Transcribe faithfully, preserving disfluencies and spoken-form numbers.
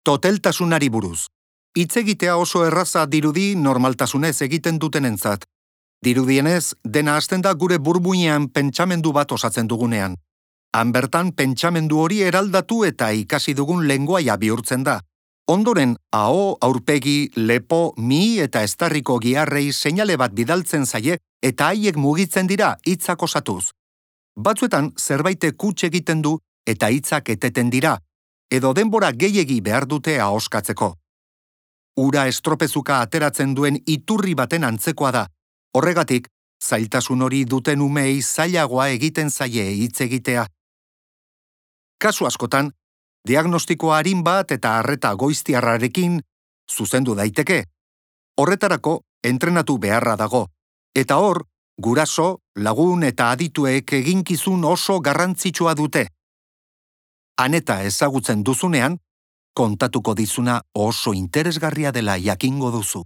Toteltasunari buruz. Hitz egitea oso erraza dirudi normaltasunez egiten dutenentzat. Dirudienez, dena hasten da gure burmuinean pentsamendu bat osatzen dugunean. Han bertan pentsamendu hori eraldatu eta ikasi dugun lengoaia bihurtzen da. Ondoren, aho, aurpegi, lepo, mi eta estarriko giharrei seinale bat bidaltzen zaie eta haiek mugitzen dira hitzak osatuz. Batzuetan zerbaitek huts egiten du eta hitzak eteten dira, edo denbora gehiegi behar dute ahoskatzeko. Ura estropezuka ateratzen duen iturri baten antzekoa da. Horregatik, zailtasun hori duten umeei zailagoa egiten zaie hitz egitea. Kasu askotan, diagnostiko arin bat eta arreta goiztiarrarekin zuzendu daiteke. Horretarako entrenatu beharra dago, eta hor, guraso, lagun eta adituek eginkizun oso garrantzitsua dute. Aneta ezagutzen duzunean, kontatuko dizuna oso interesgarria dela jakingo duzu.